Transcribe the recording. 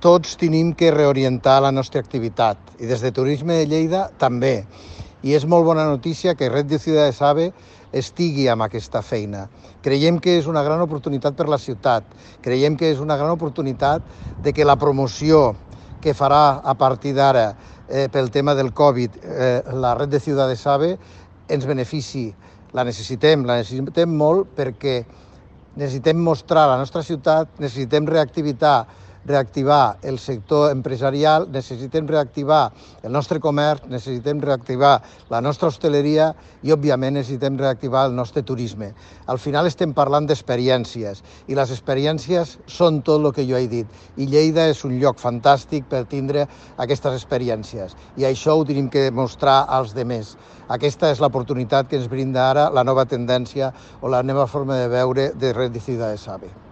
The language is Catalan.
tots tenim que reorientar la nostra activitat i des de Turisme de Lleida també. I és molt bona notícia que Red de Ciudades AVE estigui amb aquesta feina. Creiem que és una gran oportunitat per la ciutat. Creiem que és una gran oportunitat de que la promoció que farà a partir d'ara pel tema del Covid la Red de Ciudades AVE ens benefici. La necessitem molt perquè necessitem mostrar la nostra ciutat, necessitem reactivar el sector empresarial, necessitem reactivar el nostre comerç, necessitem reactivar la nostra hostaleria i, òbviament, necessitem reactivar el nostre turisme. Al final estem parlant d'experiències i les experiències són tot el que jo he dit. I Lleida és un lloc fantàstic per tindre aquestes experiències i això ho tenim que demostrar als demés. Aquesta és l'oportunitat que ens brinda ara la nova tendència o la nova forma de veure de Red de Ciudades AVE.